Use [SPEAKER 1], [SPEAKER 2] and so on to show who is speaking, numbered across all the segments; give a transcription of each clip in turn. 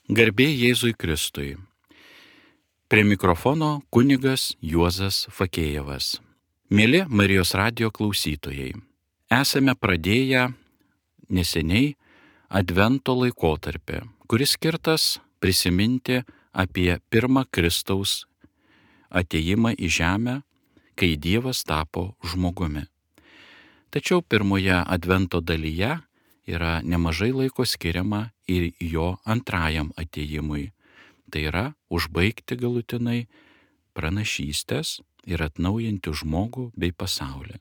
[SPEAKER 1] Garbė Jėzui Kristui. Prie mikrofono kunigas Juozas Fakėjevas. Mėly Marijos radijo klausytojai, esame pradėję neseniai Advento laikotarpį, kuris skirtas prisiminti apie pirmą Kristaus atėjimą į žemę, kai Dievas tapo žmogumi. Tačiau pirmoje Advento dalyje yra nemažai laiko skiriama ir jo antrajam atėjimui. Tai yra užbaigti galutinai pranašystės ir atnaujinti žmogų bei pasaulį.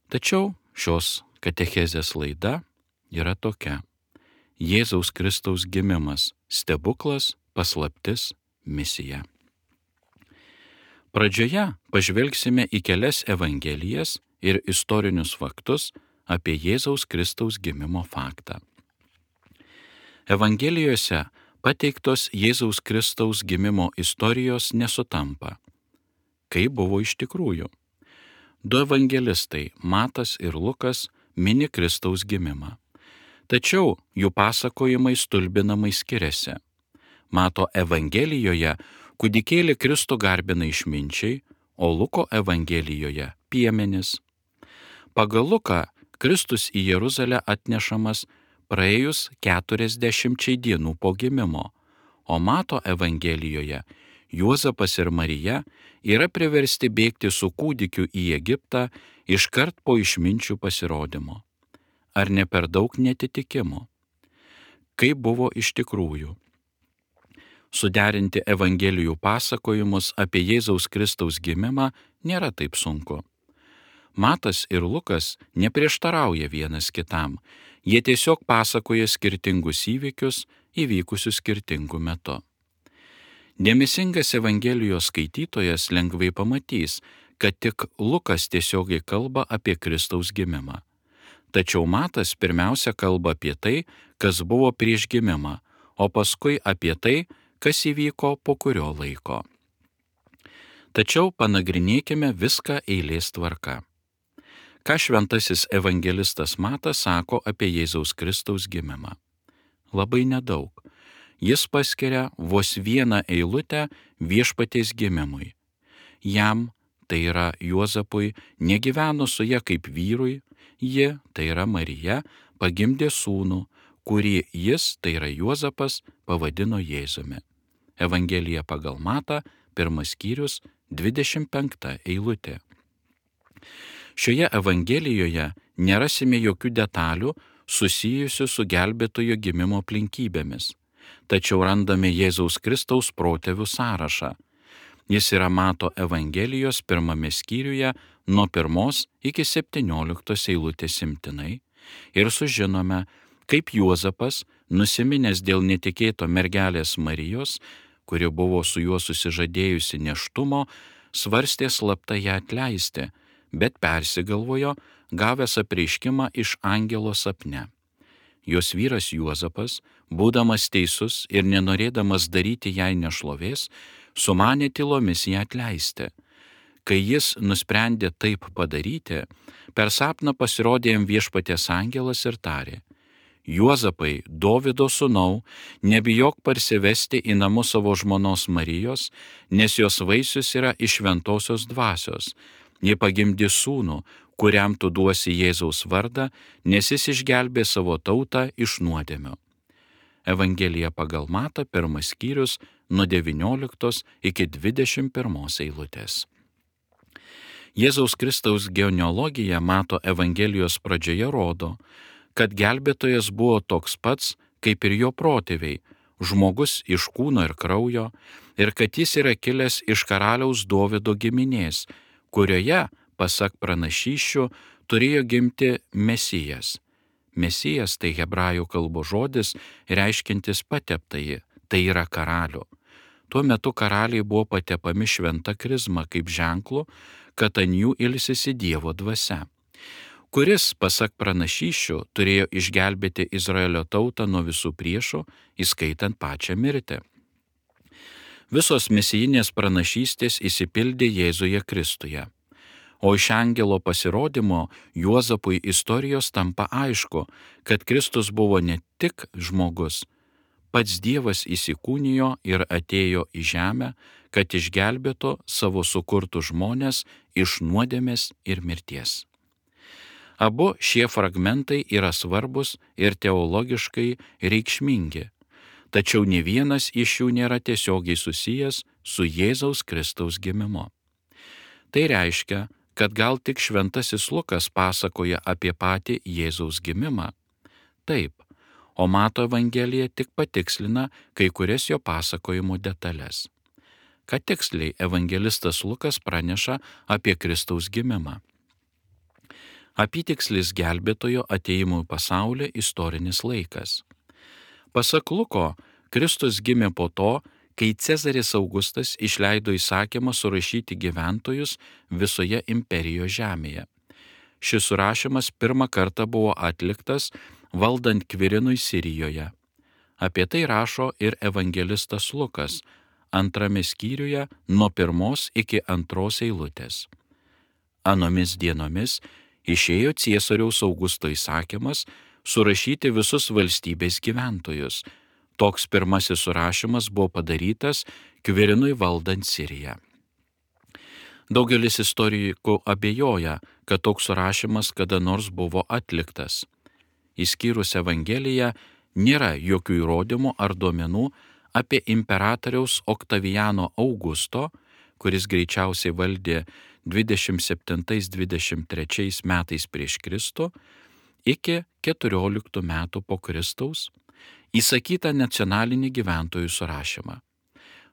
[SPEAKER 1] Tačiau šios katechezės laida yra tokia: Jėzaus Kristaus gimimas - stebuklas, paslaptis, misija. Pradžioje pažvelgsime į kelias evangelijas ir istorinius faktus apie Jėzaus Kristaus gimimo faktą. Evangelijose pateiktos Jėzaus Kristaus gimimo istorijos nesutampa. Kaip buvo iš tikrųjų? Du evangelistai, Matas ir Lukas, mini Kristaus gimimą. Tačiau jų pasakojimai stulbinamai skiriasi. Mato evangelijoje kūdikėlį Kristų garbina išminčiai, o Luko evangelijoje piemenys. Pagal Luką Kristus į Jeruzalę atnešamas praėjus 40 dienų po gimimo, o Mato evangelijoje Juozapas ir Marija yra priversti bėgti su kūdikiu į Egiptą iškart po išminčių pasirodymo. Ar ne per daug netitikimų? Kaip buvo iš tikrųjų? Suderinti evangelijų pasakojimus apie Jėzaus Kristaus gimimą nėra taip sunku. Matas ir Lukas neprieštarauja vienas kitam, jie tiesiog pasakoja skirtingus įvykius įvykusius skirtingu metu. Dėmesingas evangelijos skaitytojas lengvai pamatys, kad tik Lukas tiesiogiai kalba apie Kristaus gimimą. Tačiau Matas pirmiausia kalba apie tai, kas buvo prieš gimimą, o paskui apie tai, kas įvyko po kurio laiko. Tačiau panagrinėkime viską eilės tvarka. Ką šventasis evangelistas Matas sako apie Jėzaus Kristaus gimimą? Labai nedaug. Jis paskiria vos vieną eilutę viešpaties gimimui. Jam, tai yra Juozapui, negyveno su ja kaip vyrui, ji, tai yra Marija, pagimdė sūnų, kurį jis, tai yra Juozapas, pavadino Jėzumi. Evangelija pagal Matą, 1 skyrius, 25 eilutė. Šioje evangelijoje nerasime jokių detalių susijusių su gelbėtojo gimimo aplinkybėmis, tačiau randame Jėzaus Kristaus protėvių sąrašą. Jis yra Mato evangelijos 1 skyriuje nuo 1 iki 17 eilutės imtinai ir sužinome, kaip Juozapas, nusiminęs dėl netikėto mergelės Marijos, kuri buvo su juo susižadėjusi nėštumo, svarstė slapta ją atleisti, bet persigalvojo, gavęs apreiškimą iš angelo sapne. Jos vyras Juozapas, būdamas teisus ir nenorėdamas daryti jai nešlovės, sumanė tylomis ją atleisti. Kai jis nusprendė taip padaryti, per sapną pasirodė jam viešpaties angelas ir tarė: Juozapai, Dovydo sūnau, nebijok parsivesti į namus savo žmonos Marijos, nes jos vaisius yra iš šventosios dvasios. Ji pagimdė sūnų, kuriam tu duosi Jėzaus vardą, nes jis išgelbė savo tautą iš nuodėmių. Evangelija pagal Matą, 1 skyrius, nuo 19 iki 21 eilutės. Jėzaus Kristaus genealogija Mato evangelijos pradžioje rodo, kad gelbėtojas buvo toks pats, kaip ir jo protėviai, žmogus iš kūno ir kraujo, ir kad jis yra kilęs iš karaliaus Dovydo giminės, kurioje, pasak pranašysčių, turėjo gimti Mesijas. Mesijas tai hebrajų kalbos žodis, reiškiantis pateptąjį, tai yra karalių. Tuo metu karaliai buvo patepami šventa krizma kaip ženklu, kad ant jų ilsisi Dievo dvasia, kuris, pasak pranašysčių, turėjo išgelbėti Izraelio tautą nuo visų priešų, įskaitant pačią mirtį. Visos mesijinės pranašystės išsipildė Jėzuje Kristuje. O iš angelo pasirodymo Juozapui istorijos tampa aišku, kad Kristus buvo ne tik žmogus, pats Dievas įsikūnijo ir atėjo į žemę, kad išgelbėtų savo sukurtus žmones iš nuodėmės ir mirties. Abu šie fragmentai yra svarbus ir teologiškai reikšmingi, tačiau ne vienas iš jų nėra tiesiogiai susijęs su Jėzaus Kristaus gimimu. Tai reiškia, kad gal tik šventasis Lukas pasakoja apie patį Jėzaus gimimą. Taip, o Mato Evangelija tik patikslina kai kurias jo pasakojimo detalės. Ką tiksliai evangelistas Lukas praneša apie Kristaus gimimą? Apytikslis gelbėtojo atėjimo į pasaulį istorinis laikas. Pasak Luko, Kristus gimė po to, kai Cezaris Augustas išleido įsakymą surašyti gyventojus visoje imperijos žemėje. Šis surašymas pirmą kartą buvo atliktas valdant Kvirinui Sirijoje. Apie tai rašo ir evangelistas Lukas 2 skyriuje nuo 1 iki 2 eilutės. Anomis dienomis išėjo Ciesoriaus Augusto įsakymas surašyti visus valstybės gyventojus. Toks pirmasis surašymas buvo padarytas Kvirinui valdant Siriją. Daugelis istorikų abejoja, kad toks surašymas kada nors buvo atliktas. Išskyrus Evangeliją, nėra jokių įrodymų ar duomenų apie imperatoriaus Oktavijano Augusto, kuris greičiausiai valdė 27-23 metais prieš Kristų, iki 14 metų po Kristaus, įsakytą nacionalinį gyventojų surašymą.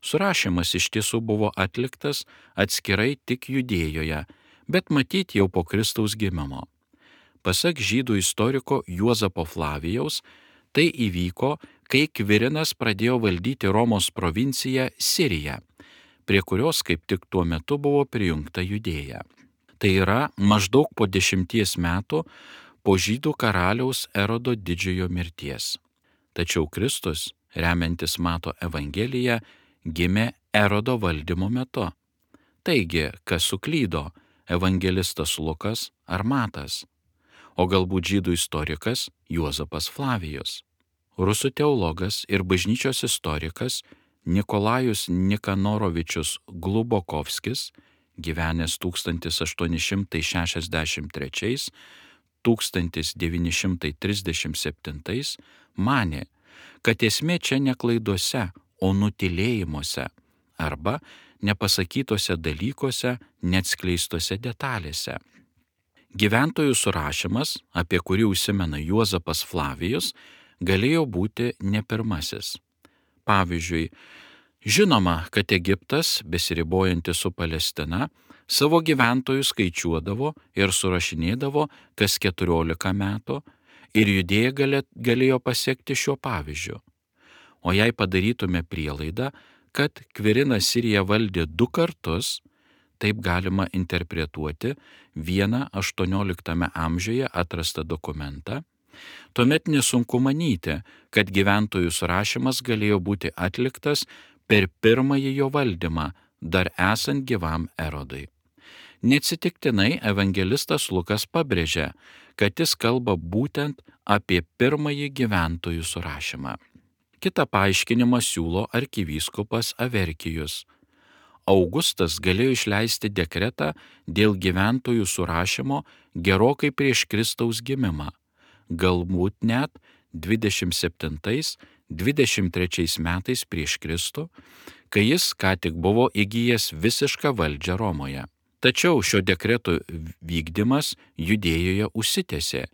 [SPEAKER 1] Surašymas iš tiesų buvo atliktas atskirai tik Judėjoje, bet matyt jau po Kristaus gimimo. Pasak žydų istoriko Juozapo Flavijaus, tai įvyko, kai Kvirinas pradėjo valdyti Romos provinciją Siriją, prie kurios kaip tik tuo metu buvo prijungta Judėja. Tai yra maždaug po 10 metų po žydų karaliaus Erodo didžiojo mirties. Tačiau Kristus, remiantis Mato Evangeliją, gimė Erodo valdymo metu. Taigi, kas suklydo, evangelistas Lukas ar Matas? O galbūt žydų istorikas Juozapas Flavijus. Rusų teologas ir bažnyčios istorikas Nikolajus Nikanorovičius Glubokovskis, gyvenęs 1883–1937, manė, kad esmė čia ne klaidose, o nutylėjimuose arba nepasakytose dalykuose, neatskleistose detalėse. Gyventojų surašymas, apie kurį užsimena Juozapas Flavijus, galėjo būti ne pirmasis. Pavyzdžiui, žinoma, kad Egiptas, besiribojantis su Palestina, savo gyventojų skaičiuodavo ir surašinėdavo kas 14 metų, ir Judėja galėjo pasiekti šiuo pavyzdžiu. O jei padarytume prielaidą, kad Kvirinas Siriją valdė 2 kartus, taip galima interpretuoti vieną 18 amžiuje atrastą dokumentą, tuomet nesunku manyti, kad gyventojų surašymas galėjo būti atliktas per pirmąjį jo valdymą, dar esant gyvam Erodui. Neatsitiktinai evangelistas Lukas pabrėžia, kad jis kalba būtent apie pirmąjį gyventojų surašymą. Kitą paaiškinimą siūlo arkivyskupas Averkijus. Augustas galėjo išleisti dekretą dėl gyventojų surašymo gerokai prieš Kristaus gimimą, galbūt net 27–23 metais prieš Kristų, kai jis ką tik buvo įgijęs visišką valdžią Romoje. Tačiau šio dekreto vykdymas Judėjoje užsitęsė,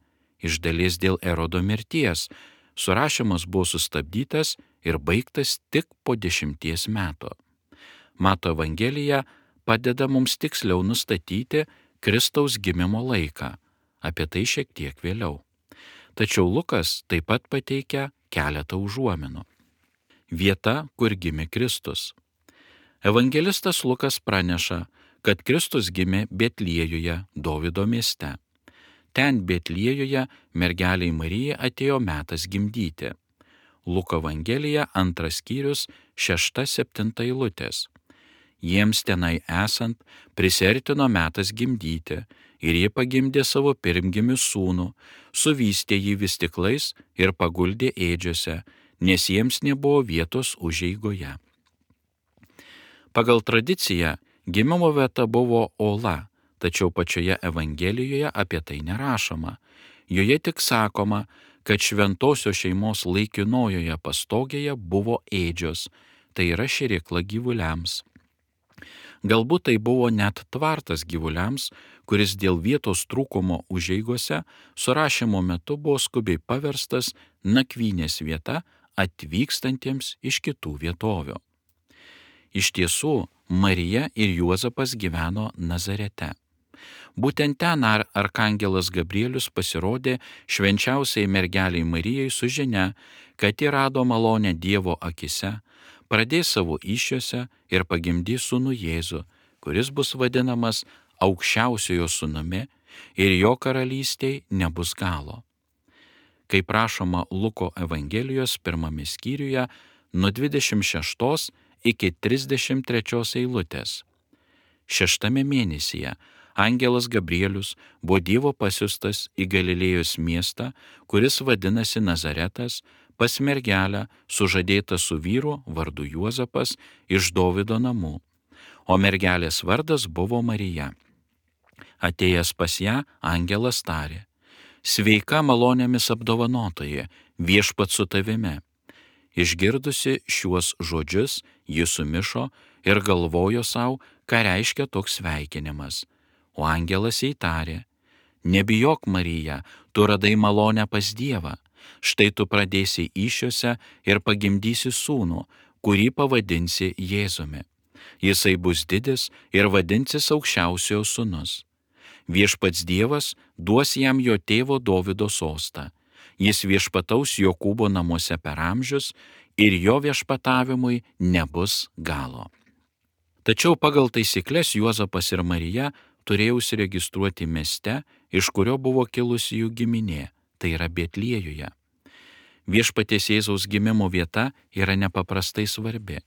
[SPEAKER 1] iš dalies dėl Erodo mirties. Surašymas buvo sustabdytas ir baigtas tik po 10 metų. Mato Evangelija padeda mums tiksliau nustatyti Kristaus gimimo laiką, apie tai šiek tiek vėliau. Tačiau Lukas taip pat pateikia keletą užuominų. Vieta, kur gimė Kristus. Evangelistas Lukas praneša, kad Kristus gimė Betliejuje, Dovydo mieste. Ten Betliejuje mergeliai Marijai atėjo metas gimdyti. Luko Evangelija 2 skyrius 6–7 eilutės. Jiems tenai esant prisiartino metas gimdyti, ir jie pagimdė savo pirmgimį sūnų, suvystė jį vystyklais ir paguldė ėdžiose, nes jiems nebuvo vietos užeigoje. Pagal tradiciją gimimo vieta buvo Ola, tačiau pačioje Evangelijoje apie tai nerašoma. Joje tik sakoma, kad šventosios šeimos laikinojoje pastogėje buvo ėdžios, tai yra šėrykla gyvuliams. Galbūt tai buvo net tvartas gyvuliams, kuris dėl vietos trūkumo užeigose surašymo metu buvo skubiai paverstas nakvynės vieta atvykstantiems iš kitų vietovių. Iš tiesų, Marija ir Juozapas gyveno Nazarete. Būtent ten arkangelas Gabrielius pasirodė švenčiausiai mergeliai Marijai su žinia, kad ji rado malonę Dievo akise, pradės savo įsčiose ir pagimdys sūnų Jėzų, kuris bus vadinamas aukščiausiojo sūnumi ir jo karalystei nebus galo. Kaip rašoma Luko Evangelijos 1 skyriuje nuo 26 iki 33 eilutės. 6 mėnesyje angelas Gabrielius buvo Dievo pasiustas į Galilėjos miestą, kuris vadinasi Nazaretas, pas mergelę sužadėtą su vyru vardu Juozapas iš Dovydo namų, o mergelės vardas buvo Marija. Atėjęs pas ją, angelas tarė: Sveika malonėmis apdovanotoji, viešpats su tavimi. Išgirdusi šiuos žodžius, ji sumišo ir galvojo savo, ką reiškia toks sveikinimas. O angelas jai tarė: Nebijok, Marija, tu radai malonę pas Dievą. Štai tu pradėsi įsčiose ir pagimdysi sūnų, kurį pavadinsi Jėzumi. Jisai bus didis ir vadinsis aukščiausiojo sūnus. Viešpats Dievas duos jam jo tėvo Dovydo sostą. Jis viešpataus Jokūbo namuose per amžius ir jo viešpatavimui nebus galo. Tačiau pagal taisyklės Juozapas ir Marija turėjo užsiregistruoti mieste, iš kurio buvo kilusi jų giminė, tai yra Betliejuje. Viešpaties Jėzaus gimimo vieta yra nepaprastai svarbi,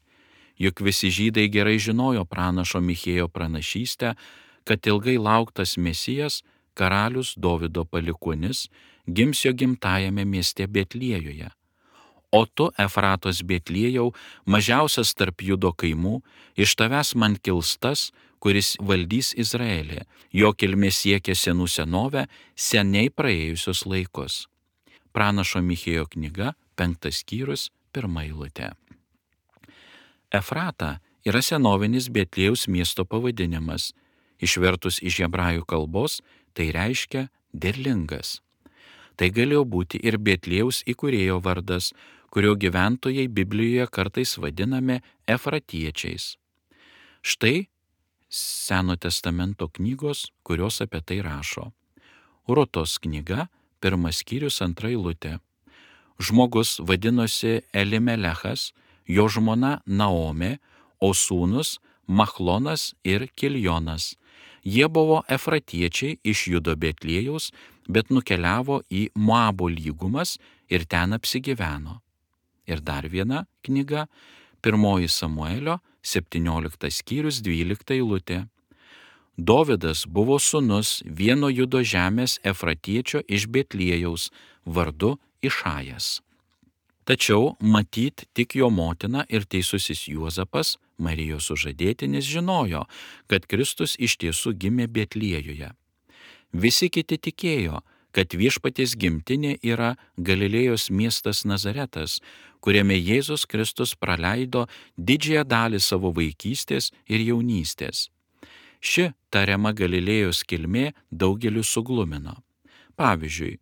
[SPEAKER 1] juk visi žydai gerai žinojo pranašo Michėjo pranašystę, kad ilgai lauktas Mesijas, karalius Dovydo palikuonis, gims jo gimtajame mieste Betliejuje. O tu, Efratos Betliejau, mažiausias tarp Judo kaimų, iš tavęs man kils tas, kuris valdys Izraelį, jo kilmė siekia senų senovę, seniai praėjusius laikus. Pranašo Michėjo knyga, 5 skyrius, 1 eilutė. Efrata yra senovinis Betliejaus miesto pavadinimas. Išvertus iš hebrajų kalbos, tai reiškia derlingas. Tai galėjo būti ir Betliejaus įkūrėjo vardas, kurio gyventojai Biblijoje kartais vadinami efratiečiais. Štai Seno testamento knygos, kurios apie tai rašo. Rutos knyga, 1 skyrius, 2 eilutė. Žmogus vadinosi Elimelechas, jo žmona Naomė, o sūnus Machlonas ir Kiljonas. Jie buvo efratiečiai iš Judo Betliejaus, bet nukeliavo į Moabo lygumas ir ten apsigyveno. Ir dar viena knyga, 1 Samuelio, 17 skyrius, 12 eilutė. Dovydas buvo sūnus vieno Judo žemės efratiečio iš Betliejaus, vardu Išajas. Tačiau matyt tik jo motina ir teisusis Juozapas, Marijos sužadėtinis, žinojo, kad Kristus iš tiesų gimė Betliejuje. Visi kiti tikėjo, kad viešpaties gimtinė yra Galilėjos miestas Nazaretas, kuriame Jėzus Kristus praleido didžiąją dalį savo vaikystės ir jaunystės. Ši tariama Galilėjos kilmė daugeliu suglumino. Pavyzdžiui,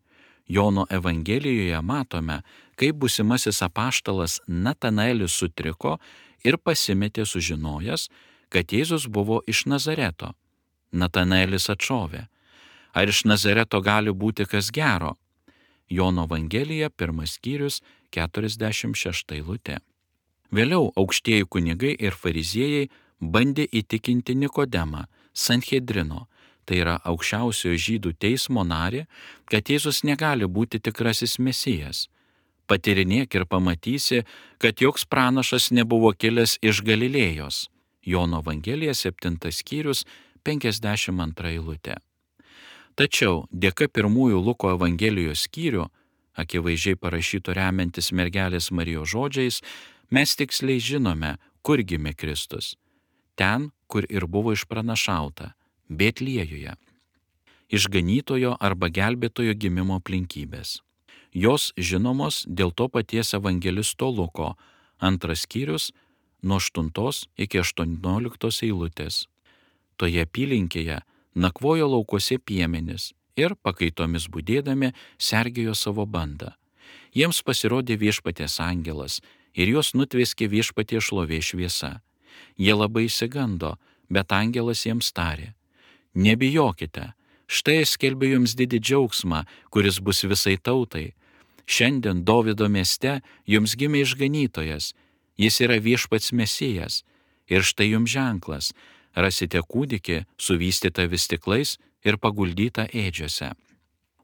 [SPEAKER 1] Jono Evangelijoje matome, kaip būsimasis apaštalas Natanaelis sutriko ir pasimetė sužinojęs, kad Jėzus buvo iš Nazareto. Natanaelis atšovė: Ar iš Nazareto gali būti kas gero? Jono Evangelija, 1 skyrius, 46 eilutė. Vėliau aukštieji kunigai ir fariziejai bandė įtikinti Nikodemą, Sanhedrino, tai yra aukščiausiojo žydų teismo narį, kad Jėzus negali būti tikrasis Mesijas. Patyrinėk ir pamatysi, kad joks pranašas nebuvo kilęs iš Galilėjos. Jono Evangelija, 7 skyrius, 52 eilutė. Tačiau dėka pirmųjų Luko Evangelijos skyrių akivaizdžiai parašyto remiantis mergelės Marijos žodžiais, mes tiksliai žinome, kur gimė Kristus. Ten, kur ir buvo išpranašauta - Betliejuje. Išganytojo arba gelbėtojo gimimo aplinkybės. Jos žinomos dėl to paties evangelisto Luko, 2 skyrius nuo 8 iki 18 eilutės. Toje apylinkėje nakvojo laukuose piemenys ir pakaitomis būdėdami sergėjo savo bandą. Jiems pasirodė viešpaties angelas ir juos nutvėskė viešpaties šlovės šviesa. Jie labai išsigando, bet angelas jiems tarė: nebijokite, štai aš skelbiu jums didį džiaugsmą, kuris bus visai tautai. Šiandien Dovydo mieste jums gimė išganytojas, jis yra viešpats Mesijas. Ir štai jums ženklas, rasite kūdikį suvystytą vystyklais ir paguldytą ėdžiose.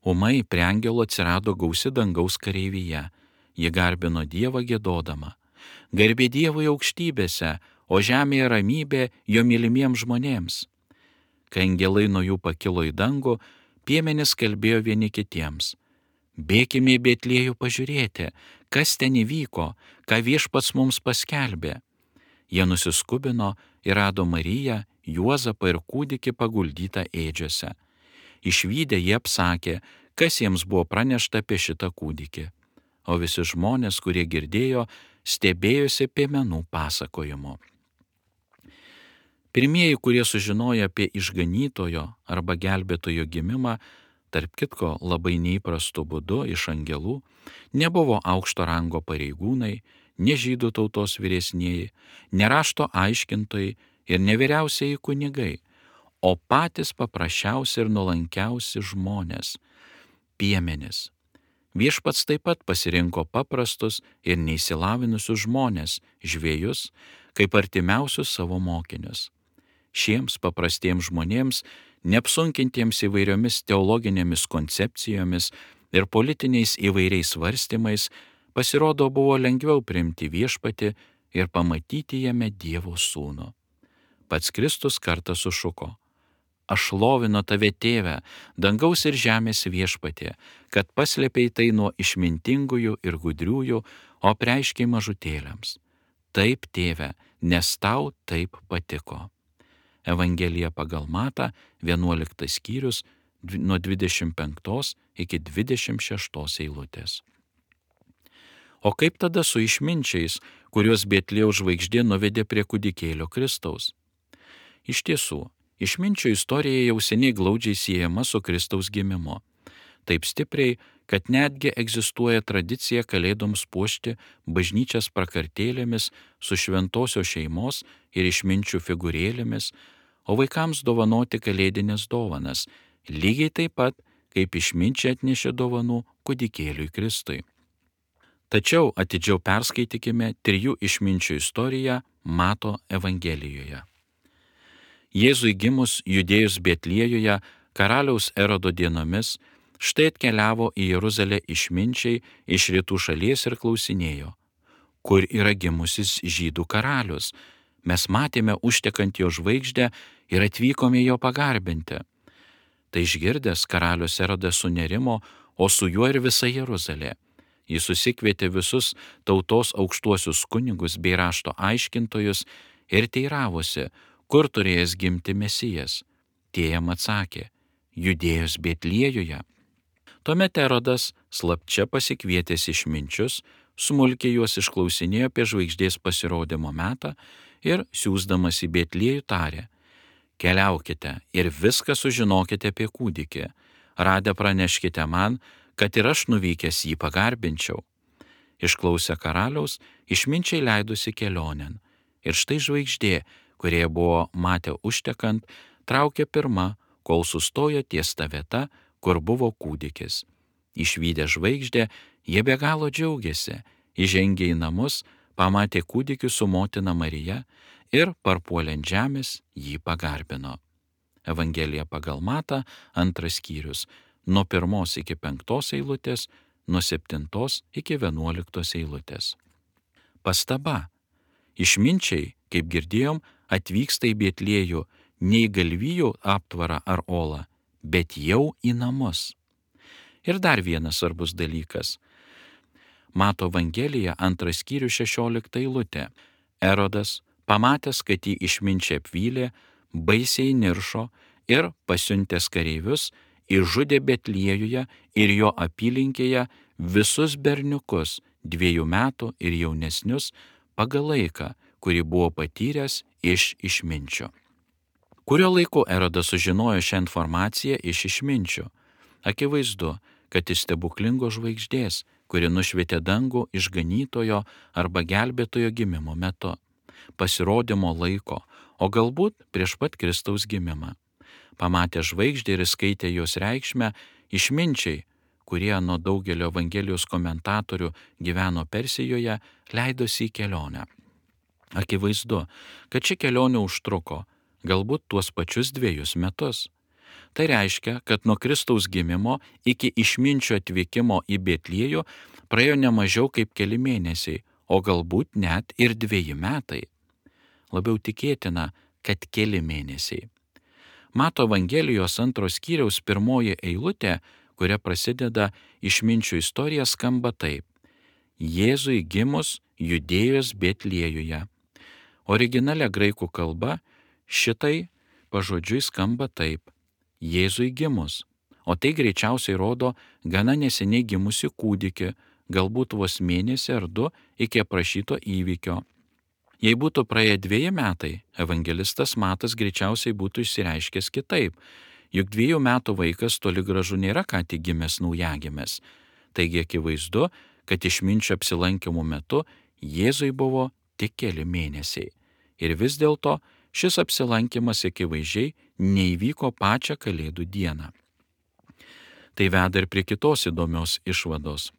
[SPEAKER 1] Ūmai prie angelo atsirado gausi dangaus kareivyje, ji garbino Dievą giedodama: garbė Dievui aukštybėse, o žemėje ramybė jo mylimiems žmonėms. Kai angelai nuo jų pakilo į dangų, piemenys kalbėjo vieni kitiems: bėkime į Betliejų pažiūrėti, kas ten įvyko, ką viešpats mums paskelbė. Jie nusiskubino ir rado Mariją, Juozapą ir kūdikį paguldytą ėdžiose. Išvydę jie apsakė, kas jiems buvo pranešta apie šitą kūdikį. O visi žmonės, kurie girdėjo, stebėjosi piemenų pasakojimu. Pirmieji, kurie sužinojo apie išganytojo arba gelbėtojo gimimą, tarp kitko labai neįprastu būdu iš angelų, nebuvo aukšto rango pareigūnai, ne žydų tautos vyresnieji, ne rašto aiškintojai ir ne vyriausieji kunigai, o patys paprasčiausi ir nuolankiausi žmonės - piemenys. Viešpats taip pat pasirinko paprastus ir neįsilavinusius žmonės, žvejus, kaip artimiausius savo mokinius. Šiems paprastiems žmonėms, neapsunkintiems įvairiomis teologinėmis koncepcijomis ir politiniais įvairiais svarstymais, pasirodo buvo lengviau priimti viešpatį ir pamatyti jame Dievo sūnų. Pats Kristus kartą sušuko: aš šlovinu tave, tėve, dangaus ir žemės viešpatie, kad paslėpei tai nuo išmintingųjų ir gudriųjų, o apreiškei mažutėliams. Taip, tėve, nes tau taip patiko. Evangelija pagal Matą, 11 skyrius, nuo 25 iki 26 eilutės. O kaip tada su išminčiais, kuriuos Betliejaus žvaigždė nuvedė prie kūdikėlio Kristaus? Iš tiesų, išminčių istorija jau seniai glaudžiai siejama su Kristaus gimimu. Taip stipriai, kad netgi egzistuoja tradicija kalėdoms puošti bažnyčias prakartėlėmis su šventosios šeimos ir išminčių figūrėlėmis, o vaikams dovanoti kalėdinės dovanas, lygiai taip pat, kaip išminčiai atnešė dovanų kūdikėliui Kristui. Tačiau atidžiau perskaitykime 3 išminčių istoriją Mato Evangelijoje. Jėzui gimus Judėjos Betliejuje karaliaus Erodo dienomis, štai atkeliavo į Jeruzalę išminčiai iš rytų šalies ir klausinėjo: kur yra gimusis žydų karalius? Mes matėme užtekant jo žvaigždę ir atvykome jo pagarbinti. Tai išgirdęs karalius Erodas sunerimo, o su juo ir visa Jeruzalė. Jis susikvietė visus tautos aukštuosius kunigus bei rašto aiškintojus ir teiravosi, kur turėjęs gimti Mesijas. Tie jam atsakė: Judėjos Betliejuje. Tuomet Erodas, slapčia pasikvietęs išminčius, smulkiai juos išklausinėjo apie žvaigždės pasirodymo metą ir, siųsdamas į Betliejų, tarė: keliaukite ir viską sužinokite apie kūdikį. Radę praneškite man, kad ir aš nuvykęs jį pagarbinčiau. Išklausę karaliaus, išminčiai leidosi kelionėn. Ir štai žvaigždė, kurie buvo matę užtekant, traukė pirma, kol sustojo ties ta vieta, kur buvo kūdikis. Išvydę žvaigždę, jie be galo džiaugiasi, įžengė į namus, pamatė kūdikį su motina Marija ir parpuolė ant žemės jį pagarbino. Evangelija pagal Matą, 2 skyrius, nuo 1 iki 5 eilutės, nuo 7 iki 11 eilutės. Pastaba. Išminčiai, kaip girdėjom, atvyksta į Betliejų ne į galvijų aptvarą ar olą, bet jau į namus. Ir dar vienas svarbus dalykas. Mato Evangelija 2 skyrius 16 eilutė. Erodas, pamatęs, kad jį išminčiai apvylė, baisiai niršo ir pasiuntęs kareivius, išžudė Betliejuje ir jo apylinkėje visus berniukus 2 metų ir jaunesnius pagal laiką, kurį buvo patyręs iš išminčio. Kurio laiku Erodas sužinojo šią informaciją iš išminčio? Akivaizdu, kad iš stebuklingos žvaigždės, kuri nušvietė dangų išganytojo arba gelbėtojo gimimo metu, pasirodymo laiko, o galbūt prieš pat Kristaus gimimą. Pamatė žvaigždę ir skaitė jos reikšmę, išminčiai, kurie nuo daugelio Evangelijos komentatorių gyveno Persijoje, leidosi į kelionę. Akivaizdu, kad ši kelionė užtruko galbūt tuos pačius 2 metus. Tai reiškia, kad nuo Kristaus gimimo iki išminčio atvykimo į Betliejų praėjo ne mažiau kaip keli mėnesiai, o galbūt net ir 2 metai. Labiau tikėtina, kad keli mėnesiai. Mato Evangelijos 2 skyriaus 1 eilutė, kuria prasideda išminčių istorija, skamba taip. Jėzui gimus Judėjos Betliejuje. Originale graikų kalba šitai pažodžiui skamba taip. Jėzui gimus. O tai greičiausiai rodo gana neseniai gimusi kūdikį, galbūt vos mėnesį ar 2 iki aprašyto įvykio. Jei būtų praėję 2 metai, evangelistas Matas greičiausiai būtų išsireiškęs kitaip, juk 2 metų vaikas toli gražu nėra ką tik gimęs naujagimis. Taigi akivaizdu, kad išminčio apsilankymų metu Jėzui buvo tik keli mėnesiai. Ir vis dėlto šis apsilankymas akivaizdžiai neįvyko pačią Kalėdų dieną. Tai veda ir prie kitos įdomios išvados.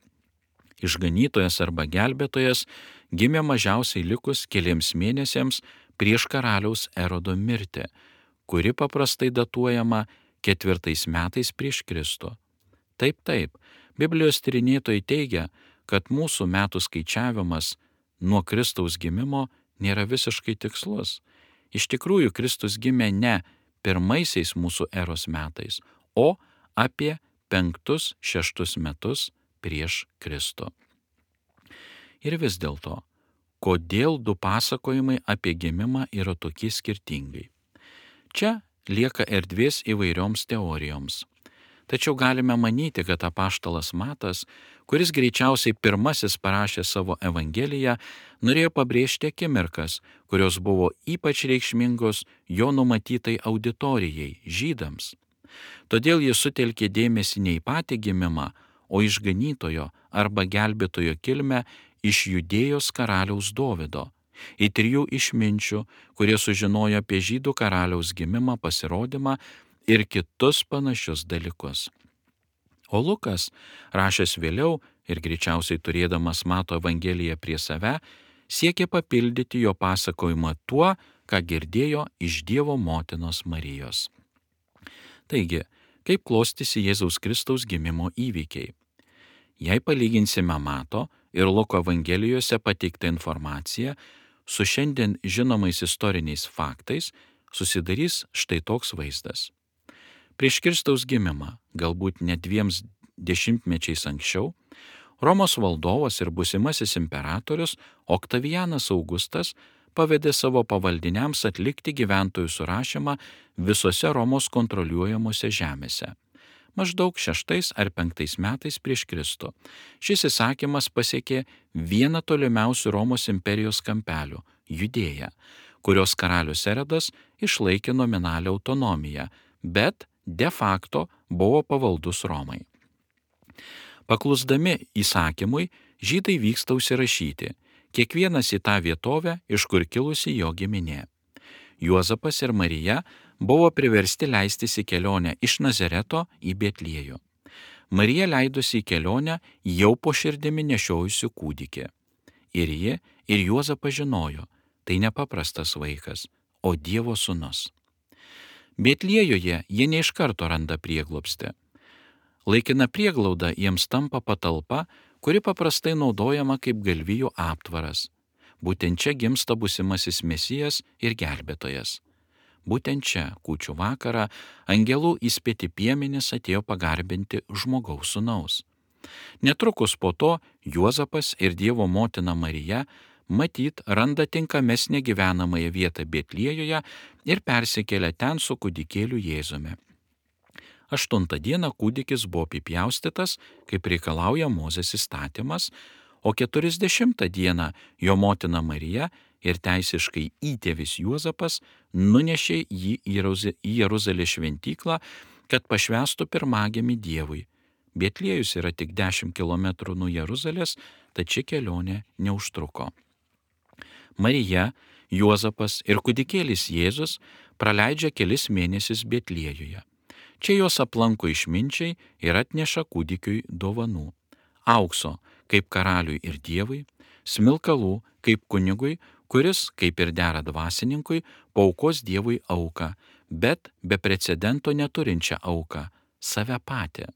[SPEAKER 1] Išganytojas arba gelbėtojas gimė mažiausiai likus keliems mėnesiams prieš karaliaus Erodo mirtį, kuri paprastai datuojama 4 metais prieš Kristų. Taip, Biblijos tyrinėtojai teigia, kad mūsų metų skaičiavimas nuo Kristaus gimimo nėra visiškai tikslus. Iš tikrųjų, Kristus gimė ne 1 mūsų eros metais, o apie 5-6 metus prieš Kristų. Ir vis dėlto, kodėl 2 pasakojimai apie gimimą yra tokie skirtingai? Čia lieka erdvės įvairioms teorijoms. Tačiau galime manyti, kad apaštalas Matas, kuris greičiausiai pirmasis parašė savo Evangeliją, norėjo pabrėžti akimirkas, kurios buvo ypač reikšmingos jo numatytai auditorijai, žydams. Todėl jis sutelkė dėmesį ne į patį gimimą, o išganytojo arba gelbėtojo kilmę iš Judėjos karaliaus Dovydo, į 3 išminčių, kurie sužinojo apie žydų karaliaus gimimą, pasirodymą ir kitus panašius dalykus. O Lukas, rašęs vėliau ir greičiausiai turėdamas Mato Evangeliją prie save, siekė papildyti jo pasakojimą tuo, ką girdėjo iš Dievo motinos Marijos. Taigi, kaip klostysi Jėzaus Kristaus gimimo įvykiai? Jei palyginsime Mato ir Luko Evangelijose pateiktą informaciją su šiandien žinomais istoriniais faktais, susidarys štai toks vaizdas. Prieš Kristaus gimimą, galbūt net 2 dešimtmečiais anksčiau, Romos valdovas ir būsimasis imperatorius Oktavianas Augustas pavedė savo pavaldiniams atlikti gyventojų surašymą visose Romos kontroliuojamose žemėse. Maždaug 6 ar 5 metais prieš Kristų. Šis įsakymas pasiekė vieną tolimiausių Romos imperijos kampelių – Judėją, kurios karalius Erodas išlaikė nominalią autonomiją, bet de facto buvo pavaldus Romai. Paklusdami įsakymui, žydai vyksta užsirašyti, kiekvienas į tą vietovę, iš kur kilusi jo giminė. Juozapas ir Marija buvo priversti leistis į kelionę iš Nazareto į Betliejų. Marija leidosi į kelionę jau po širdimi nešiojusiu kūdikį. Ir ji, ir Juozapas žinojo, tai nepaprastas vaikas, o Dievo sūnus. Betliejuje jie ne iš karto randa prieglobstį. Laikina prieglauda jiems tampa patalpa, kuri paprastai naudojama kaip galvijų aptvaras. Būtent čia gimsta būsimasis Mesijas ir gelbėtojas. Būtent čia, kūčių vakarą, angelų įspėti piemenys atėjo pagarbinti žmogaus sūnaus. Netrukus po to Juozapas ir Dievo motina Marija matyt randa tinkamesnę gyvenamąją vietą Betliejoje ir persikelia ten su kūdikėliu Jėzumi. 8 dieną kūdikis buvo apipjaustytas, kaip reikalauja Mozės įstatymas, o 40 dieną jo motina Marija ir teisiškai įtėvis Juozapas nunešė jį į Jeruzalės šventyklą, kad pašvęstų pirmagimį Dievui. Betliejus yra tik 10 km nuo Jeruzalės, tad ši kelionė neužtruko. Marija, Juozapas ir kūdikėlis Jėzus praleidžia kelis mėnesius Betliejuje. Čia juos aplanko išminčiai ir atneša kūdikiui dovanų. Aukso, kaip karaliui ir Dievui, smilkalų, kaip kunigui, kuris, kaip ir dera dvasininkui, paaukos Dievui auką, bet be precedento neturinčią auką - save patį.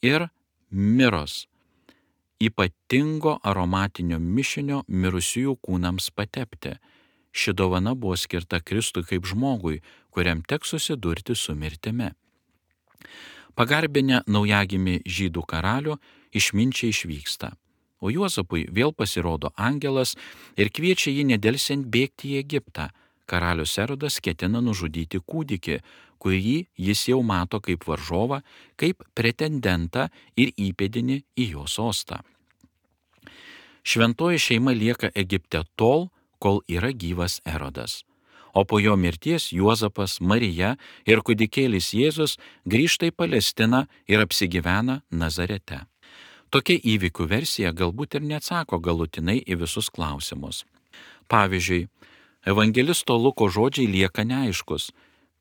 [SPEAKER 1] Ir miros, ypatingo aromatinio mišinio mirusiųjų kūnams patepti. Ši dovana buvo skirta Kristui kaip žmogui, kuriam teks susidurti su mirtimi. Pagarbinę naujagimį žydų karalių, išminčiai išvyksta, o Juozapui vėl pasirodo angelas ir kviečia jį nedelsiant bėgti į Egiptą. Karalius Erodas ketina nužudyti kūdikį, kurį jis jau mato kaip varžovą, kaip pretendentą ir įpėdinį į jo sostą. Šventoji šeima lieka Egipte tol, kol yra gyvas Erodas. O po jo mirties Juozapas, Marija ir kūdikėlis Jėzus grįžta į Palestiną ir apsigyvena Nazarete. Tokia įvykių versija galbūt ir neatsako galutinai į visus klausimus. Pavyzdžiui, evangelisto Luko žodžiai lieka neaiškus,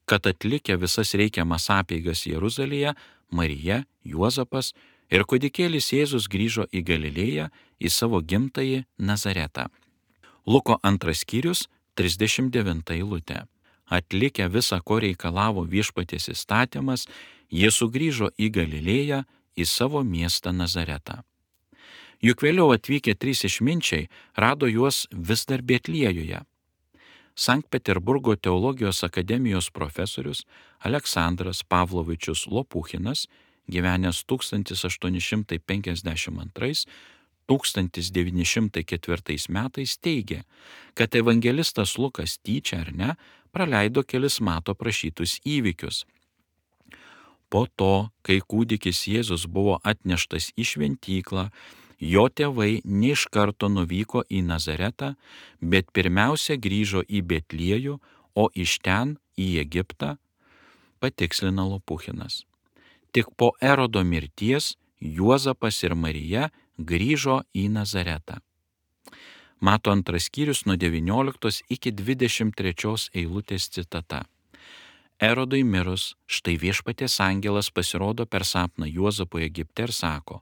[SPEAKER 1] kad atlikę visas reikiamas apeigas Jeruzalėje, Marija, Juozapas ir kūdikėlis Jėzus grįžo į Galilėją, į savo gimtąjį Nazaretą. Luko 2 skyrius, 39 eilutė. Atlikę visą, ko reikalavo viešpaties įstatymas, jie sugrįžo į Galilėją, į savo miestą Nazaretą. Juk vėliau atvykę 3 išminčiai rado juos vis dar Betliejuje. Sankt Peterburgo teologijos akademijos profesorius Aleksandras Pavlovičius Lopuchinas, gyvenęs 1882–1904 metais, teigia, kad evangelistas Lukas tyčia ar ne praleido kelis mato prašytus įvykius. Po to, kai kūdikis Jėzus buvo atneštas į šventyklą, jo tėvai ne iš karto nuvyko į Nazaretą, bet pirmiausia grįžo į Betliejų, o iš ten į Egiptą, patikslina Lopuchinas. Tik po Erodo mirties Juozapas ir Marija grįžo į Nazaretą. Mato 2 skyrius nuo 19 iki 23 eilutės citata. Erodui mirus, štai viešpaties angelas pasirodo per sapną Juozapui Egipte ir sako: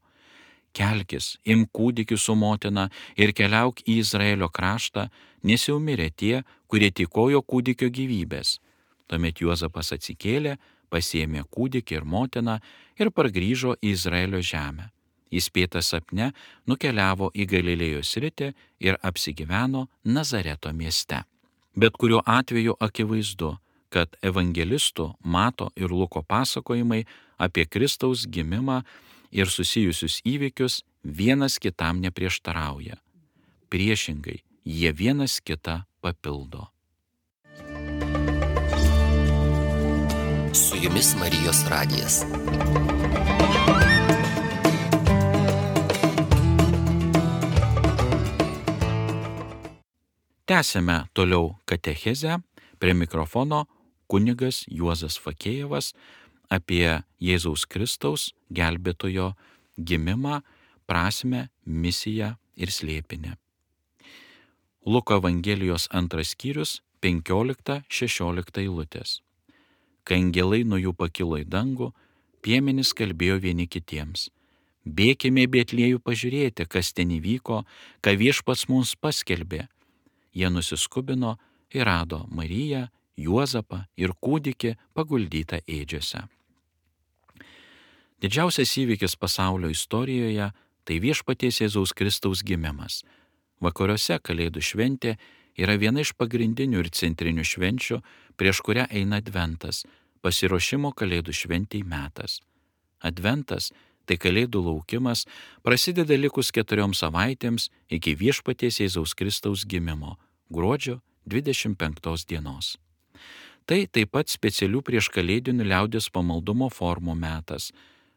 [SPEAKER 1] kelkis, imk kūdikį su motina ir keliauk į Izraelio kraštą, nes jau mirė tie, kurie tykojo kūdikio gyvybės. Tuomet Juozapas atsikėlė, pasiėmė kūdikį ir motiną ir pargrįžo į Izraelio žemę. Įspėtas sapne nukeliavo į Galilėjos sritį ir apsigyveno Nazareto mieste. Bet kuriuo atveju akivaizdu, kad evangelistų Mato ir Luko pasakojimai apie Kristaus gimimą ir susijusius įvykius vienas kitam neprieštarauja. Priešingai, jie vienas kitą papildo.
[SPEAKER 2] Su jumis Marijos radijas.
[SPEAKER 1] Tęsime toliau katechezę, prie mikrofono kunigas Juozas Fakėjevas apie Jėzaus Kristaus gelbėtojo gimimą, prasmę, misiją ir slėpinį. Luko Evangelijos 2 skyrius 15–16 eilutės. Kai angelai nuo jų pakilo į dangų, piemenys kalbėjo vieni kitiems: bėkime į Betliejų pažiūrėti, kas ten įvyko, ką viešpats mums paskelbė. Jie nusiskubino ir rado Mariją, Juozapą ir kūdikį paguldytą ėdžiose. Didžiausias įvykis pasaulio istorijoje tai viešpaties Jėzaus Kristaus gimimas. Vakaruose Kalėdų šventė yra viena iš pagrindinių ir centrinių švenčių, prieš kurią eina Adventas, pasiruošimo Kalėdų šventei metas. Adventas — tai Kalėdų laukimas, prasideda likus 4 savaitėms iki Viešpaties Jėzaus Kristaus gimimo, gruodžio 25 dienos. Tai taip pat specialių prieškalėdinių liaudies pamaldumo formų metas,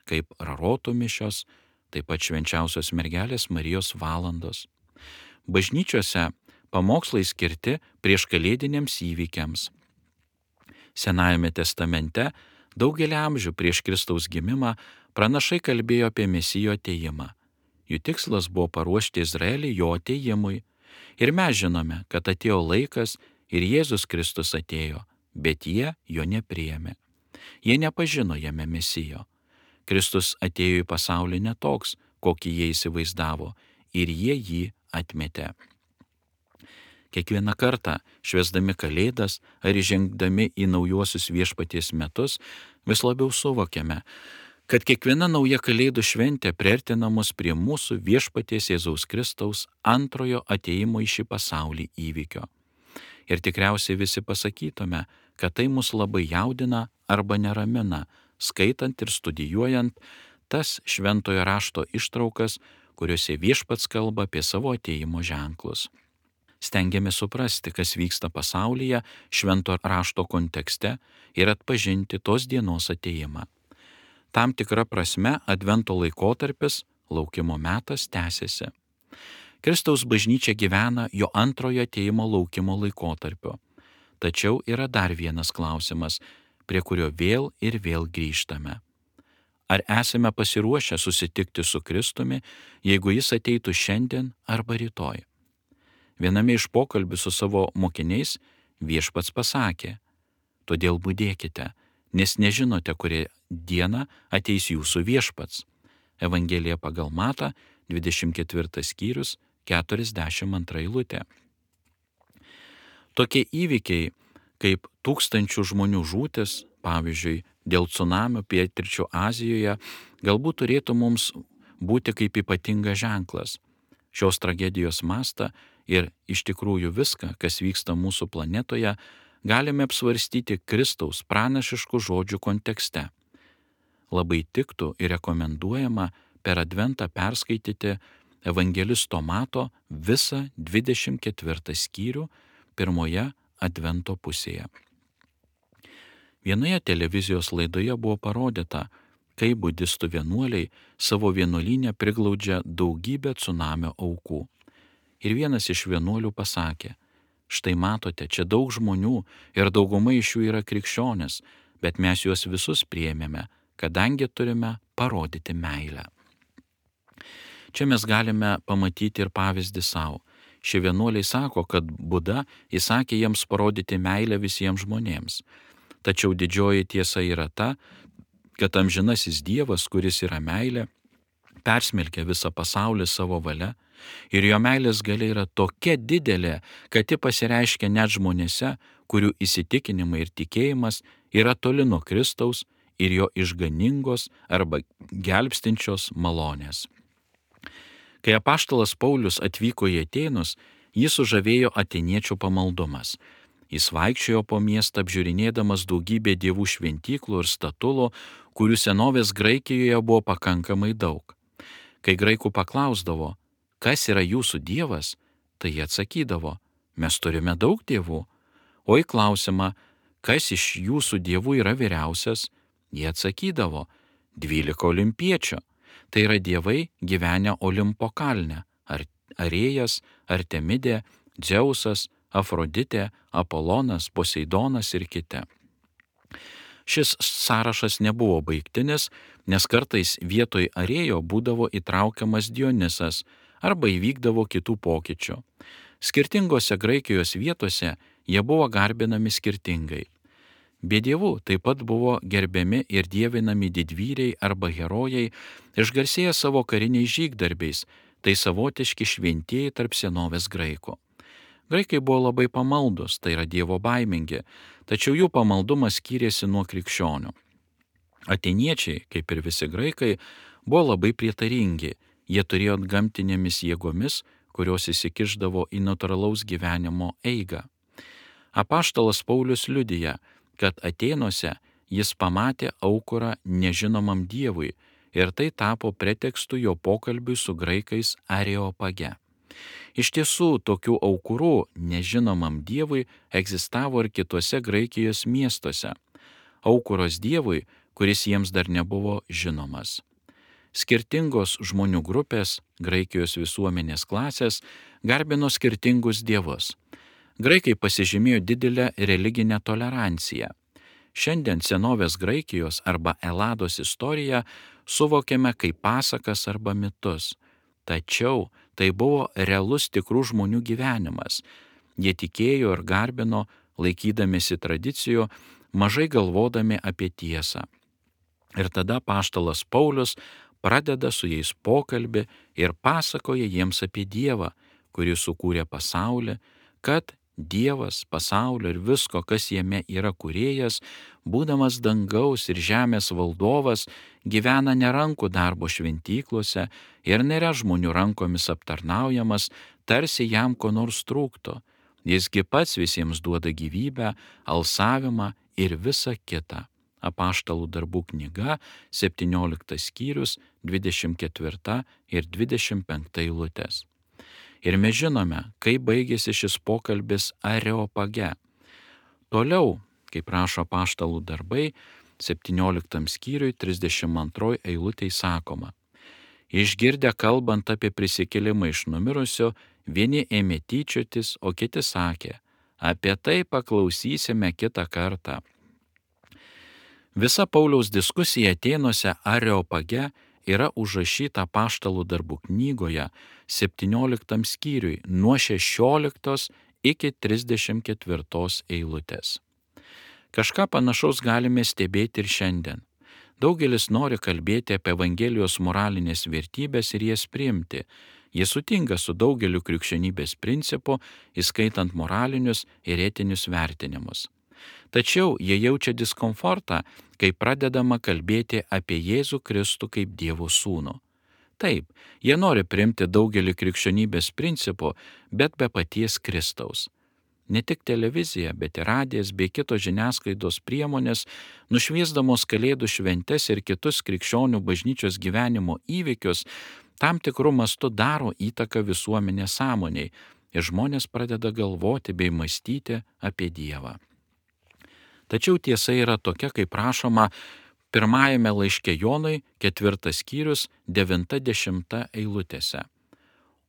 [SPEAKER 1] kaip rarotų mišios, taip pat švenčiausios mergelės Marijos valandos. Bažnyčiose pamokslai skirti prieškalėdiniams įvykiams. Senajame testamente daugelį amžių prieš Kristaus gimimą pranašai kalbėjo apie Mesijo atėjimą. Jų tikslas buvo paruošti Izraelį jo atėjimui. Ir mes žinome, kad atėjo laikas ir Jėzus Kristus atėjo, bet jie jo nepriėmė. Jie nepažino jame Mesijo. Kristus atėjo į pasaulį ne toks, kokį jie įsivaizdavo, ir jie jį atmetė. Kiekvieną kartą, švęsdami Kalėdas ar įžengdami į naujuosius Viešpaties metus, vis labiau suvokiame, kad kiekviena nauja Kalėdų šventė priartina mus prie mūsų Viešpaties Jėzaus Kristaus antrojo atėjimo į šį pasaulį įvykio. Ir tikriausiai visi pasakytume, kad tai mus labai jaudina arba neramina, skaitant ir studijuojant tas šventojo rašto ištraukas, kuriuose Viešpats kalba apie savo atėjimo ženklus. Stengiamės suprasti, kas vyksta pasaulyje švento rašto kontekste ir atpažinti tos dienos atėjimą. Tam tikra prasme Advento laikotarpis, laukimo metas tęsiasi. Kristaus bažnyčia gyvena jo antrojo atėjimo laukimo laikotarpio. Tačiau yra dar vienas klausimas, prie kurio vėl ir vėl grįžtame. Ar esame pasiruošę susitikti su Kristumi, jeigu jis ateitų šiandien arba rytoj? Viename iš pokalbių su savo mokiniais Viešpats pasakė: todėl budėkite, nes nežinote, kurią dieną ateis jūsų Viešpats. Evangelija pagal Matą, 24 skyrius, 42 eilutė. Tokie įvykiai, kaip tūkstančių žmonių žūtis, pavyzdžiui, dėl cunamio pietryčių Azijoje, galbūt turėtų mums būti kaip ypatingas ženklas. Šios tragedijos mastą ir iš tikrųjų viską, kas vyksta mūsų planetoje, galime apsvarstyti Kristaus pranašiškų žodžių kontekste. Labai tiktų ir rekomenduojama per Adventą perskaityti evangelisto Mato visą 24 skyrių pirmoje Advento pusėje. Vienoje televizijos laidoje buvo parodyta, kaip budistų vienuoliai savo vienuolyne priglaudžia daugybę cunamio aukų. Ir vienas iš vienuolių pasakė: štai matote, čia daug žmonių ir dauguma iš jų yra krikščionys, bet mes juos visus priėmėme, kadangi turime parodyti meilę. Čia mes galime pamatyti ir pavyzdį savo. Šie vienuoliai sako, kad Buda įsakė jiems parodyti meilę visiems žmonėms. Tačiau didžioji tiesa yra ta, kad amžinasis Dievas, kuris yra meilė, persmelkia visą pasaulį savo valia ir jo meilės galia yra tokia didelė, kad ji pasireiškia net žmonėse, kurių įsitikinimai ir tikėjimas yra toli nuo Kristaus ir jo išganingos arba gelbstinčios malonės. Kai apaštalas Paulius atvyko į Atėnus, jį sužavėjo atėniečių pamaldumas. Jis vaikščiojo po miestą apžiūrinėdamas daugybę dievų šventyklų ir statulų, kurių senovės Graikijoje buvo pakankamai daug. Kai graikų paklausdavo, kas yra jūsų dievas, tai jie atsakydavo: mes turime daug dievų. O į klausimą, kas iš jūsų dievų yra vyriausias, jie atsakydavo: 12 olimpiečių. Tai yra dievai gyvenę Olimpo kalne - Arėjas, Artemidė, Dzeusas, Afroditė, Apolonas, Poseidonas ir kiti. Šis sąrašas nebuvo baigtinis, nes kartais vietoj Arėjo būdavo įtraukiamas Dionisas arba įvykdavo kitų pokyčių. Skirtingose Graikijos vietose jie buvo garbinami skirtingai. Be dievų taip pat buvo gerbiami ir dievinami didvyriai arba herojai, išgarsėję savo kariniais žygdarbiais, tai savotiški šventieji tarp senovės graikų. Graikai buvo labai pamaldus, tai yra dievo baimingi, tačiau jų pamaldumas skyrėsi nuo krikščionių. Atėniečiai, kaip ir visi graikai, buvo labai prietaringi, jie turėjo gamtinėmis jėgomis kurios įsikišdavo į natūralaus gyvenimo eigą. Apaštalas Paulius liudija, kad Atėnuose jis pamatė aukurą nežinomam Dievui ir tai tapo pretekstu jo pokalbiui su graikais Areopage. Iš tiesų, tokių aukurų nežinomam Dievui egzistavo ir kituose Graikijos miestuose. Aukuros Dievui, kuris jiems dar nebuvo žinomas. Skirtingos žmonių grupės, Graikijos visuomenės klasės, garbino skirtingus dievus. Graikai pasižymėjo didelę religinę toleranciją. Šiandien senovės Graikijos arba Elados istoriją suvokiame kaip pasakas arba mitus. Tačiau tai buvo realus tikrų žmonių gyvenimas. Jie tikėjo ir garbino, laikydamiesi tradicijų, mažai galvodami apie tiesą. Ir tada apaštalas Paulius pradeda su jais pokalbį ir pasakoja jiems apie Dievą, kuris sukūrė pasaulį, kad Dievas, pasaulio ir visko, kas jame yra kūrėjas, būdamas dangaus ir žemės valdovas, gyvena ne rankų darbo šventyklose ir nėra žmonių rankomis aptarnaujamas, tarsi jam ko nors trūktų. Jisgi pats visiems duoda gyvybę, alsavimą ir visa kita. Apaštalų darbų knyga, 17 skyrius, 24 ir 25 eilutės. Ir mes žinome, kaip baigėsi šis pokalbis Areopage. Toliau, kaip rašo apaštalų darbai, 17 skyriui 32 eilutėj sakoma: Išgirdę kalbant apie prisikėlimą iš numirusio, vieni ėmė tyčiotis, o kiti sakė: apie tai paklausysime kitą kartą. Visa Pauliaus diskusija Atėnuose Areopage yra užrašyta apaštalų darbų knygoje 17 skyriui nuo 16 iki 34 eilutės. Kažką panašaus galime stebėti ir šiandien. Daugelis nori kalbėti apie Evangelijos moralinės vertybės ir jas priimti. Jie sutinka su daugeliu krikščionybės principų, įskaitant moralinius ir etinius vertinimus. Tačiau jie jaučia diskomfortą, kai pradedama kalbėti apie Jėzų Kristų kaip Dievo sūnų. Taip, jie nori priimti daugelį krikščionybės principų, bet be paties Kristaus. Ne tik televizija, bet ir radijas bei kitos žiniasklaidos priemonės, nušviesdamos Kalėdų šventes ir kitus krikščionių bažnyčios gyvenimo įvykius, tam tikrų mastų daro įtaką visuomenės sąmoniai ir žmonės pradeda galvoti bei mąstyti apie Dievą. Tačiau tiesa yra tokia, kaip rašoma pirmajame laiške Jonui, 4 skyrius, 9-10 eilutėse.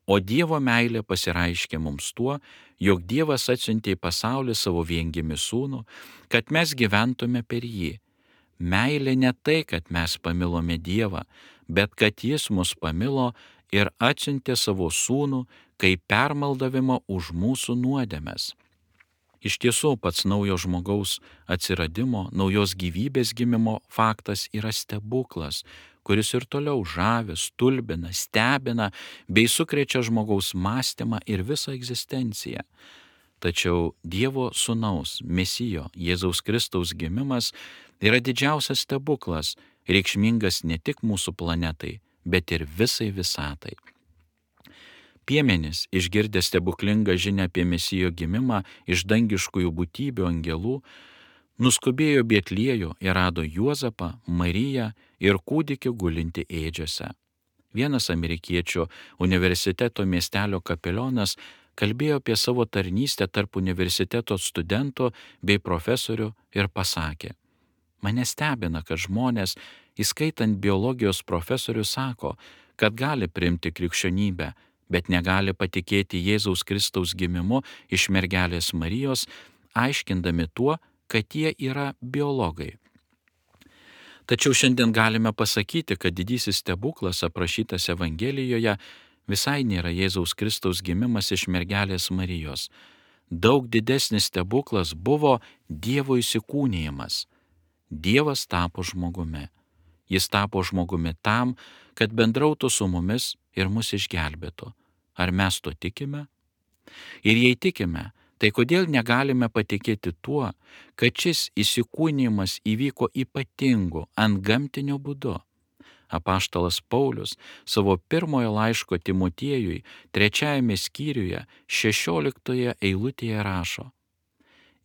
[SPEAKER 1] O Dievo meilė pasireiškė mums tuo, jog Dievas atsiuntė į pasaulį savo viengimį sūnų, kad mes gyventume per jį. Meilė ne tai, kad mes pamilome Dievą, bet kad jis mus pamilo ir atsiuntė savo sūnų kaip permaldavimą už mūsų nuodėmes. Iš tiesų, pats naujo žmogaus atsiradimo, naujos gyvybės gimimo faktas yra stebuklas, kuris ir toliau žavi, stulbina, stebina bei sukrečia žmogaus mąstymą ir visą egzistenciją. Tačiau Dievo sūnaus, Mesijo, Jėzaus Kristaus gimimas yra didžiausias stebuklas, reikšmingas ne tik mūsų planetai, bet ir visai visatai. Piemenys, išgirdę stebuklingą žinią apie Mesijo gimimą iš dangiškųjų būtybių angelų, nuskubėjo Betliejų ir rado Juozapą, Mariją ir kūdikį gulinti ėdžiose. Vienas amerikiečių universiteto miestelio kapelionas kalbėjo apie savo tarnystę tarp universiteto studentų bei profesorių ir pasakė: Mane stebina, kad žmonės, įskaitant biologijos profesorių, sako, kad gali priimti krikščionybę, bet negali patikėti Jėzaus Kristaus gimimu iš mergelės Marijos, aiškindami tuo, kad jie yra biologai. Tačiau šiandien galime pasakyti, kad didysis stebuklas aprašytas Evangelijoje visai nėra Jėzaus Kristaus gimimas iš mergelės Marijos. Daug didesnis stebuklas buvo Dievo įsikūnijimas. Dievas tapo žmogumi. Jis tapo žmogumi tam, kad bendrautų su mumis ir mus išgelbėtų. Ar mes to tikime? Ir jei tikime, tai kodėl negalime patikėti tuo, kad šis įsikūnijimas įvyko ypatingu, antgamtiniu būdu? Apaštalas Paulius savo pirmojo laiško Timotiejui 3 skyriuje 16 eilutėje rašo: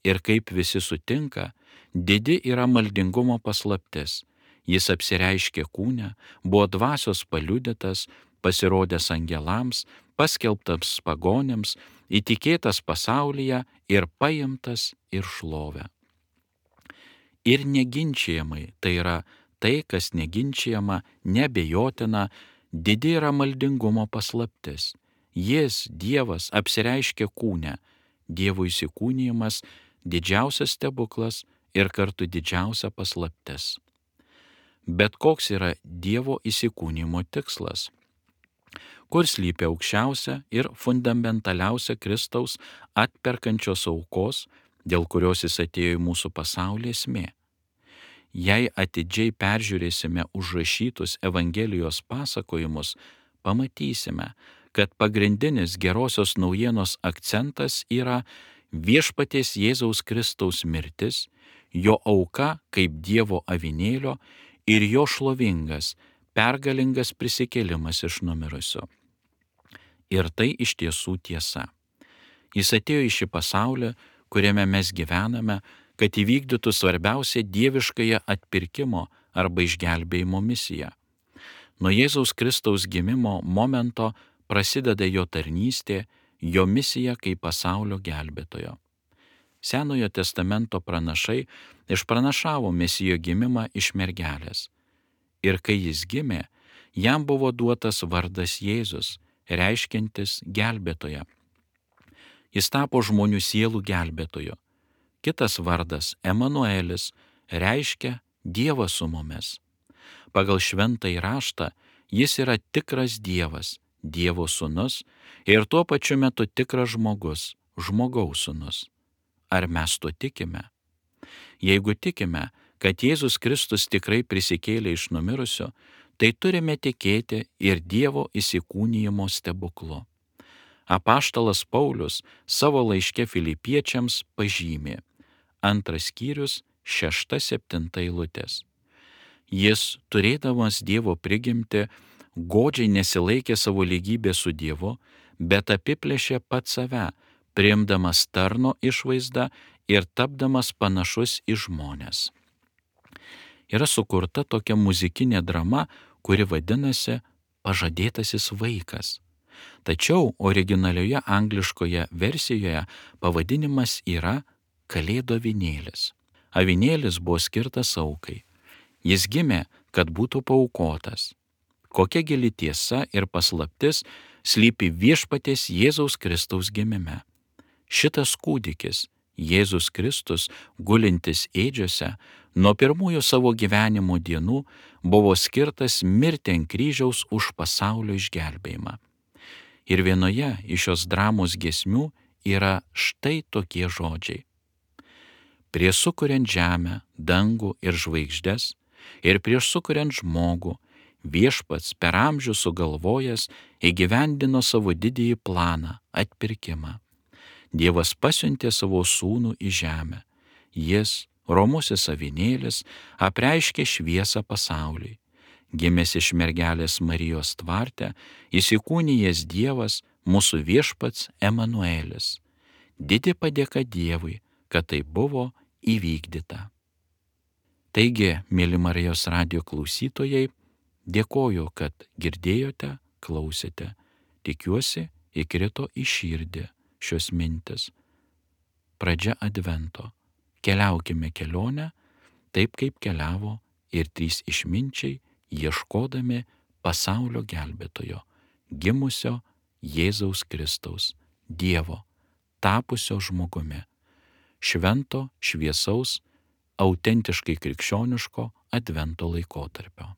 [SPEAKER 1] Ir kaip visi sutinka, didi yra maldingumo paslaptis. Jis apsireiškė kūne, buvo dvasios paliudytas, pasirodęs angelams, paskelbtas pagonims, įtikėtas pasaulyje ir paimtas ir šlovę. Ir neginčiamai, tai yra tai, kas neginčiama, neabejotina, didi yra maldingumo paslaptis. Jis, Dievas, apsireiškė kūne. Dievo įsikūnijimas didžiausias stebuklas ir kartu didžiausia paslaptis. Bet koks yra Dievo įsikūnijimo tikslas? Kur slypi aukščiausia ir fundamentaliausia Kristaus atperkančios aukos, dėl kurios jis atėjo į mūsų pasaulį esmė? Jei atidžiai peržiūrėsime užrašytus Evangelijos pasakojimus, pamatysime, kad pagrindinis gerosios naujienos akcentas yra viešpaties Jėzaus Kristaus mirtis, jo auka kaip Dievo avinėlio ir jo šlovingas, pergalingas prisikėlimas iš numirusių. Ir tai iš tiesų tiesa. Jis atėjo į šį pasaulį, kuriame mes gyvename, kad įvykdytų svarbiausią dieviškąją atpirkimo arba išgelbėjimo misiją. Nuo Jėzaus Kristaus gimimo momento prasideda jo tarnystė, jo misija kaip pasaulio gelbėtojo. Senojo testamento pranašai išpranašavo mesijo gimimą iš mergelės. Ir kai jis gimė, jam buvo duotas vardas Jėzus, reiškiantis gelbėtoją. Jis tapo žmonių sielų gelbėtoju. Kitas vardas Emanuelis reiškia Dievas su mumis. Pagal šventąjį raštą jis yra tikras Dievas, Dievo sūnus ir tuo pačiu metu tikras žmogus, žmogaus sūnus. Ar mes to tikime? Jeigu tikime, kad Jėzus Kristus tikrai prisikėlė iš numirusių, tai turime tikėti ir Dievo įsikūnijimo stebuklu. Apaštalas Paulius savo laiške Filipiečiams pažymė 2 skyrius 6-7 eilutės. Jis, turėdamas Dievo prigimtį, godžiai nesilaikė savo lygybės su Dievu, bet apiplėšė pats save, priimdamas tarno išvaizdą ir tapdamas panašus į žmones. Yra sukurta tokia muzikinė drama, kuri vadinasi Pažadėtasis vaikas. Tačiau originalioje angliškoje versijoje pavadinimas yra Kalėdų avinėlis. Avinėlis buvo skirtas aukai. Jis gimė, kad būtų paaukotas. Kokia gili tiesa ir paslaptis slypi viešpaties Jėzaus Kristaus gimime. Šitas kūdikis, Jėzus Kristus, gulintis ėdžiose, nuo pirmųjų savo gyvenimo dienų buvo skirtas mirti ant kryžiaus už pasaulio išgelbėjimą. Ir vienoje iš šios dramos giesmių yra štai tokie žodžiai. Prieš sukuriant žemę, dangų ir žvaigždes, ir prieš sukuriant žmogų, viešpats per amžių sugalvojęs įgyvendino savo didįjį planą – atpirkimą. Dievas pasiuntė savo sūnų į žemę. Jis, romusis avinėlis, apreiškė šviesą pasauliui. Gimęs iš mergelės Marijos tvarte, įsikūnijęs Dievas, mūsų viešpats Emanuelis. Didi padėka Dievui, kad tai buvo įvykdyta. Taigi, mėly Marijos radijo klausytojai, dėkoju, kad girdėjote, klausėte. Tikiuosi, įkrito į širdį šios mintis. Pradžia advento. Keliaukime kelionę, taip kaip keliavo ir 3 išminčiai, ieškodami pasaulio gelbėtojo, gimusio Jėzaus Kristaus, Dievo, tapusio žmogumi, švento, šviesaus, autentiškai krikščioniško advento laikotarpio.